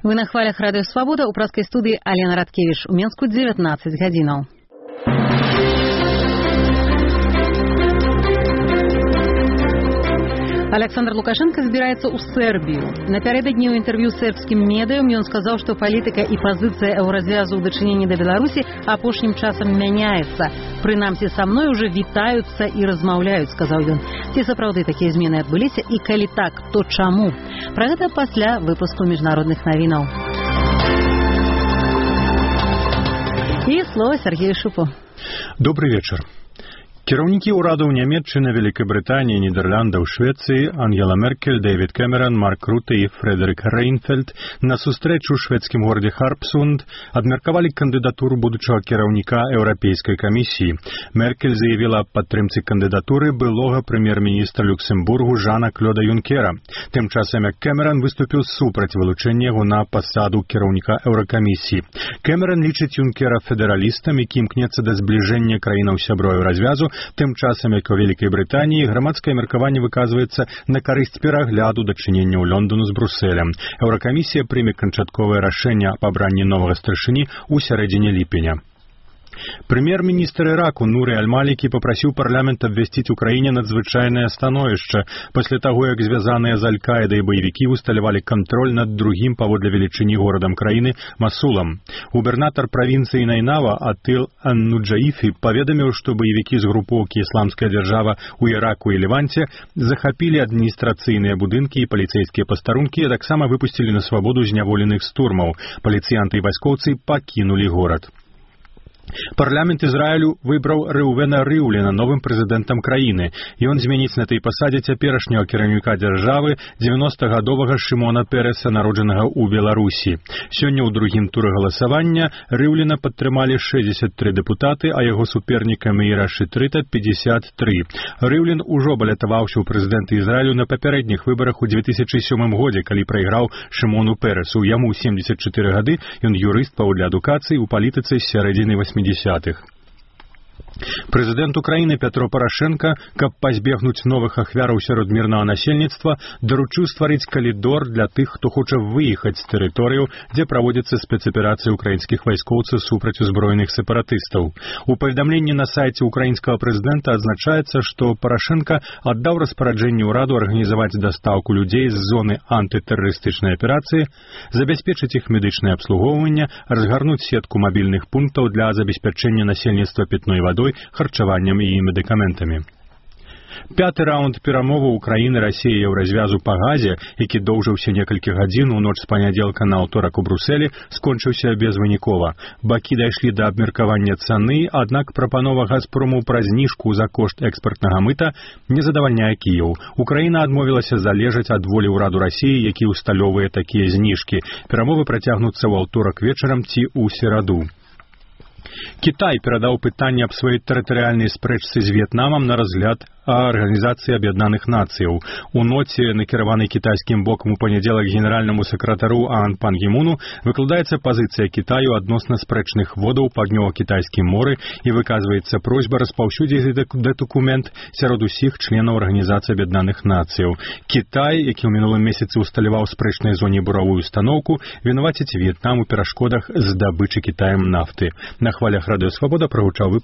Вы на хвалях Радио Свобода, у праской студии Алена Радкевич. У Менску 19 гадзінаў. Александр Лукашенко збіраецца ў Сербію. Напярэдадні ў інтэрв'ю сербскім медыям ён сказаў, што палітыка і пазіцыя еўразвязу ў дачыненні да Беларусі апошнім часам мяняецца. Прынамсі, са мной уже вітаюцца і размаўляюць, сказаў ён. Ці сапраўды такія змены адбыліся і калі так, то чаму? Пра гэта пасля выпуску міжнародных навінаў. І слово Сергею Шупу. Добрый вечер. Кіраўнікі ўрадаў Нямецчыны, Великобрытаніі, Нідерландаў, Швецыі, Ангела Меркель, Дэвід Кэмерон, Марк Руtte і Фредерик Рейнфельд на сустрэчу ў шведскім горадзе Харпсунд абмеркавалі кандыдатуру будучага кіраўніка Еўрапейскай камісіі. Меркель заявіла аб падтрымцы кандыдатуры былога прэм'ер-міністра Люксембургу Жана Клода Юнкера. Тым часам Кэмерон выступіў супраць вылучэння яго на пасаду кіраўніка Еўракамісіі. Кэмерон лічыць Юнкера федэралістам, які імкнецца да збліжэння краінаў сяброў развязу. Тым часам, як у Вялікай Брытаніі, грамадскае меркаванне выказваецца на карысць перагляду дачыненняў Лондону з Брусэлем. Еўракамісія прыме канчатковае рашэнне аб абранні новага старшыні ў сярэдзіне ліпеня. Прэм'ер-міністр Іраку Нуры Аль-Малікі папрасіў парламент абвясціць у краіне надзвычайнае становішча пасля таго, як звязаныя з Аль-Каідай баевікі усталявалі кантроль над другім паводле велічыні горадам краіны Масулам. Губернатар правінцыі Найнава Атыл Ан-Нуджаіфі паведаміў, што баевікі з групоўкі «Ісламская дзяржава» у Іраку і Леванце захапілі адміністрацыйныя будынкі і паліцэйскія пастарункі, а таксама выпусцілі на свабоду зняволеных з турмаў. Паліцыянты і вайскоўцы пакінулі горад. Парламент Ізраілю выбраў Рэўвена Рыўліна новым прэзідэнтам краіны. Ён зменіць на той пасадзе цяперашняга кіраўніка дзяржавы 90-гадовага Шымона Переса, народжанага ў Беларусі. Сёння ў другім туры галасавання Рыўліна падтрымалі 63 дэпутаты, а яго суперніка Меіра Шытрыта 53. Рыўлін ужо балятаваўся ў прэзідэнты Ізраілю на папярэдніх выбарах у 2007 годзе, калі прайграў Шымону Пересу. Яму 74 гады, ён юрыст паводле адукацыі ў палітыцы з сярэдзіны 80-х. Прэзідэнт Украіны Пятро Парашенка, каб пазбегнуць новых ахвяраў сярод мірнага насельніцтва, даручыў стварыць калідор для тых, хто хоча выехаць з тэрыторыяў, дзе праводзіцца спецаперацыі украінскіх вайскоўцаў супраць узброеных сепаратыстаў. У паведамленні на сайце украінскага прэзідэнта адзначаецца, што Парашенка аддаў распараджэнне ўраду арганізаваць дастаўку людзей з зоны антытэрарыстычнай аперацыі, забяспечыць іх медычнае абслугоўванне, разгарнуць сетку мабільных пунктаў для забеспячэння насельніцтва пітной вадой, харчаваннем і медыкаментамі. Пяты раунд перамоваў Украіны, Расіі і Еўразвязу па газе, які доўжыўся некалькі гадзін у ноч з панядзелка на аўторак у Брусэлі, скончыўся безвынікова. Бакі дайшлі да абмеркавання цаны, аднак прапанова «Газпрому» пра зніжку за кошт экспартнага мыта не задавальняе Кіеў. Украіна адмовілася залежаць ад волі ўраду Расіі, які ўсталёўвае такія зніжкі. Перамовы працягнуцца ў аўторак вечарам ці ў сераду. Кітай перадаў пытанне аб сваёй тэрытарыяльнай спрэчцы з В'етнамам на разгляд Арганізацыі Аб'яднаных Нацыяў. У ноце, накіраванай кітайскім бокам у панядзелак генеральнаму сакратару Аан Пан Гі Муну, выкладаецца пазіцыя Кітаю адносна спрэчных водаў паўднёва-кітайскім моры і выказваецца просьба распаўсюдзіць дакумент сярод усіх членаў Арганізацыі Аб'яднаных Нацыяў. Кітай, які ў мінулым месяцы усталяваў спрэчнай зоне буравую устаноўку, вінаваціць В'етнам у перашкодах здабычы Кітаем нафты. На хвалях Радыё Свабода прагучаў